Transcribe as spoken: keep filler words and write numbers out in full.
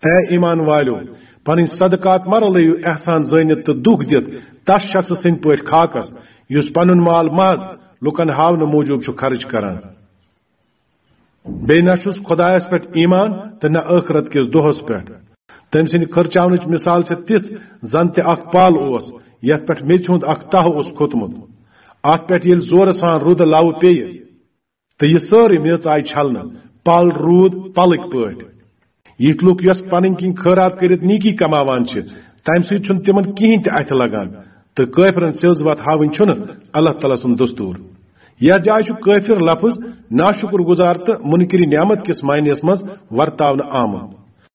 A ایمان والیو، پنٕنۍ صدقات مہ رلٲیِو احسان زٲنِتھ تہٕ دُکھ دِتھ تس شخصہٕ سٕنٛدۍ پٲٹھۍ خاکس، یُس پنُن مال محض لوٗکن ہاونہٕ موٗجوٗب چھُ خرٕچ کران۔ بیٚیہِ نہ چھُس خۄدایس پٮ۪ٹھ ایمان تہٕ نہ ٲخرت کِس دۄہس پٮ۪ٹھ۔ تٔمۍ سٕنٛدِ خرچاونٕچ مثال چھےٚ تِژھ زن تہِ اکھ پل اوس، یتھ پٮ۪ٹھ میٚژِ ہُنٛد اکھ تہہ اوس کھوٚتمُت۔ اتھ پٮ۪ٹھ ییٚلہِ زورٕ سان رُدٕ لو پیٚیہِ، تہٕ یہِ سٲرٕے میٚژ آیہِ چھلنہٕ، پل روٗد پلٕکۍ پٲٹھۍ۔ یِتھۍ لوٗکھ یۄس پنٕنۍ کِنۍ خٲرات کٔرِتھ نیکی کماوان چھِ، تمہِ سۭتۍ چھُنہٕ تِمن کِہیٖنۍ تہِ اتھِ لگان، تہٕ کٲفرن سیٚز وتھ ہاوٕنۍ چھُنہٕ اللہ تعالیٰ سُنٛد دستور۔ یتھ جایہِ چھُ کٲفر لفظ ناشُکر گُزار تہٕ منکر نعمت کِس معنیس منٛز ورتاونہٕ آمُت۔